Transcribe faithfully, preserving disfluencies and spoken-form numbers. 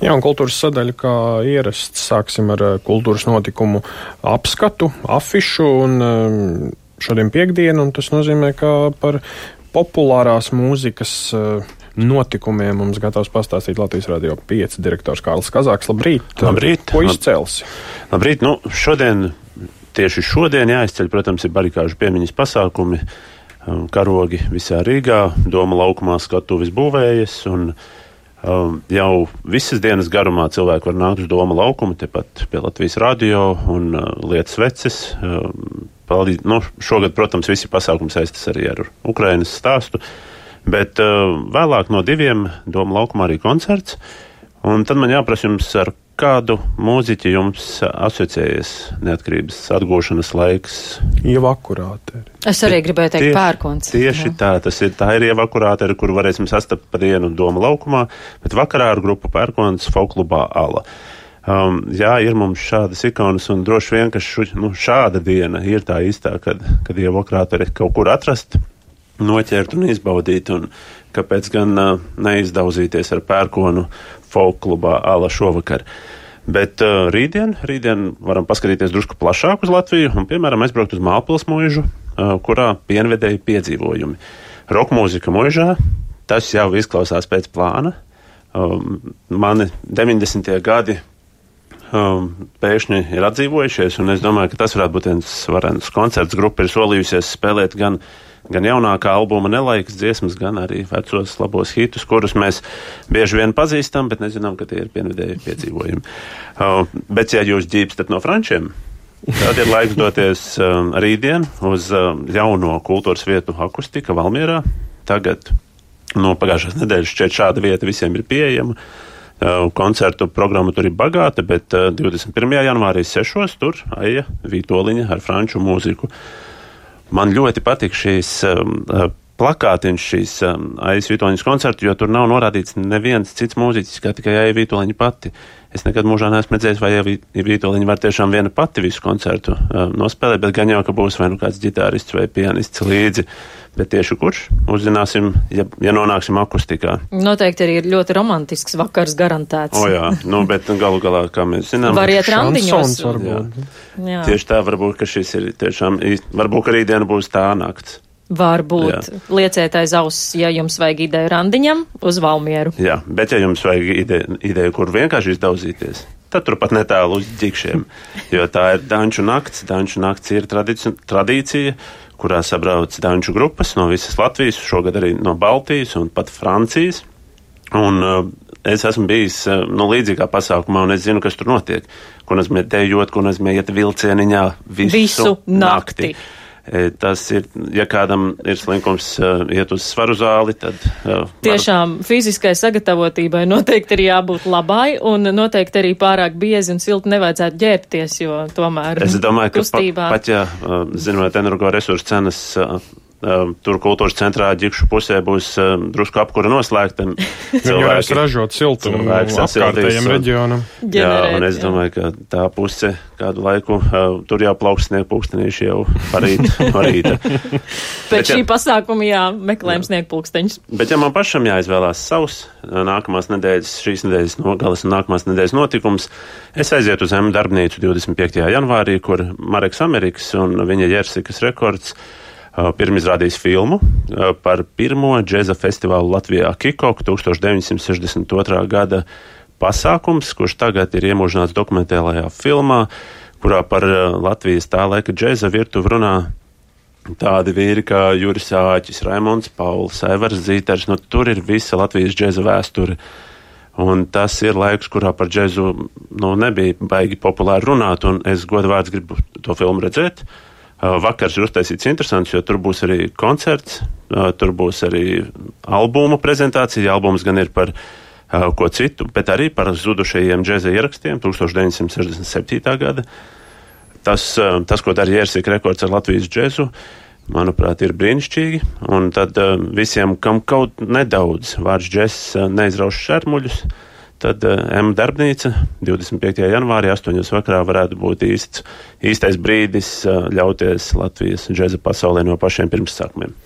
Jā, un kultūras sadaļa, kā ierasts, sāksim ar kultūras notikumu apskatu, afišu, un šodien piekdienu, un tas nozīmē, ka par populārās mūzikas notikumiem mums gatavs pastāstīt Latvijas Radio pieci direktors Kārlis Kazāks. Labrīt! Labrīt! Ko izcelsi? Labrīt! Nu, šodien, tieši šodien jāizceļ, protams, ir barikāžu piemiņas pasākumi, karogi visā Rīgā, Doma laukumā skatuves būvējas, un um, jau visas dienas garumā cilvēki var nākt uz Doma laukumu, tepat pie Latvijas Radio un uh, lietas veces. Um, palīdz, nu, šogad, protams, visi pasākumi saistas arī ar Ukrainas stāstu. Bet uh, vēlāk no diviem Doma laukumā arī koncerts, un tad man jāprasa jums, ar kādu mūziķi jums asociējas neatkarības atgūšanas laiks? Ieva Akurāteri. Es arī gribēju teikt tieši, Pērkons. Tieši jā. tā, tas ir, tā ir Ieva Akurāteri, kuru varēsim sastapt pa dienu Doma laukumā, bet vakarā ar grupu Pērkons folklubā Ala. Um, jā, ir mums šādas ikonas, un droši vien, ka šu, nu, šāda diena ir tā īstā, kad, kad Ieva Akurāteri kaut kur atrast, noķert un izbaudīt, un kāpēc gan uh, neizdauzīties ar Pērkonu folklubā Ala šovakar. Bet uh, rītdien, rītdien varam paskatīties drusku plašāk uz Latviju un, piemēram, aizbraukt uz Mālpils muižu, uh, kurā pienvedēja piedzīvojumi. Rokmūzika muižā, tas jau izklausās pēc plāna. Um, mani deviņdesmitie gadi um, pēkšņi ir atdzīvojušies, un es domāju, ka tas varētu būt viens varens koncerts. Grupa ir solījusies spēlēt gan gan jaunākā albuma nelaikas dziesmas, gan arī vecos labos hitus, kurus mēs bieži vien pazīstam, bet nezinām, ka tie ir pienvedēji piedzīvojumi. Uh, bet, ja jūs ģībstat no frančiem, tad ir laiks doties uh, rītdien uz uh, jauno kultūras vietu Akustika Valmierā. Tagad, no pagājušās nedēļas šķiet šāda vieta visiem ir pieejama. Uh, koncertu programma tur ir bagāta, bet uh, divdesmit pirmajā janvārī sešos tur Aija Vītoliņa ar franču mūziku. Man ļoti patīk šīs um, plakātiņš, šīs um, Aijas Vītoliņas koncertu, jo tur nav norādīts neviens cits mūziķis, kā tikai Aija Vītoliņa pati. Es nekad mūžā neesmu redzējis, vai Aija Vītoliņa var tiešām viena pati visu koncertu um, nospēlēt, bet gan jau, ka būs vai nu kāds ģitārists vai pianists līdzi. Bet tieši kurš? Uzzināsim, ja, ja nonāksim akustikā. Noteikti arī ir ļoti romantisks vakars garantēts. O jā, nu, bet galu galā, kā mēs zinām... Var iet randiņos. Jā. Jā. Tieši tā, varbūt, ka šis ir tiešām īsti, varbūt, ka rītdiena būs tā nakts. Varbūt. Jā. Lieciet aiz auss, ja jums vajag ideju randiņam, uz Valmieru. Jā, bet ja jums vajag ideju, ideju kur vienkārši izdauzīties, tad turpat netālu uz ģikšiem, jo tā ir danču nakts. Danču nakts ir tradici, tradīcija, kurā sabrauc danču grupas no visas Latvijas, šogad arī no Baltijas un pat Francijas. Un uh, es esmu bijis uh, no līdzīgā pasākumā, un es zinu, kas tur notiek. Ko nozīmē dejot, ko nozīmē iet vilcieniņā visu, visu nakti. nakti. Tas ir, ja kādam ir slinkums uh, iet uz svaru zāli, tad... Uh, Tiešām var... fiziskai sagatavotībai noteikti ir jābūt labai, un noteikti arī pārāk biezi un silti nevajadzētu ģērbties, jo tomēr es domāju, kustībā... ka pa, pat, ja, uh, zinot energoresursu cenas, uh, uh, tur kultūras centrā ģikšu pusē būs uh, drusku apkura noslēgta. Cilvēki ražot siltumu apkārtējiem reģionam. Jā, un es domāju, ka tā puse kādu laiku uh, tur jau plauks sniegpulkstenīši jau parīt, parīta. Pēc šī ja, pasākuma jā, meklējam sniegpulksteņus. Bet ja man pašam jāizvēlās savs nākamās nedēļas, šīs nedēļas nogalas un nākamās nedēļas notikums, es aizietu uz M darbnīcu divdesmit piektajā janvārī, kur Mareks Amerikas un viņa Jersikas rekords uh, pirmizrādīs filmu uh, par pirmo džeza festivālu Latvijā Kikok tūkstoš deviņsimt sešdesmit otrā gada pasākums, kurš tagad ir iemūžināts dokumentālajā filmā, kurā par Latvijas tā laika džeza virtuvi runā tādi vīri kā Juris Āķis, Raimonds Pauls, Aivars Zīters. Nu, tur ir visa Latvijas džeza vēsture. Un tas ir laiks, kurā par džezu nu, nebija baigi populāri runāt, un es godvārds gribu to filmu redzēt. Vakars ir uztaisīts interesants, jo tur būs arī koncerts, tur būs arī albuma prezentācija. Albums gan ir par ko citu, bet arī par zudušajiem džeza ierakstiem tūkstoš deviņsimt sešdesmit septītā gada. Tas, tas ko dara Jersika rekords ar Latvijas džezu, manuprāt, ir brīnišķīgi. Un tad visiem, kam kaut nedaudz vārds džezs neizrauš šermuļus, tad M darbnīca divdesmit piektajā janvārī astoņos vakarā varētu būt īsts, īstais brīdis ļauties Latvijas džeza pasaulē no pašiem pirmsākumiem.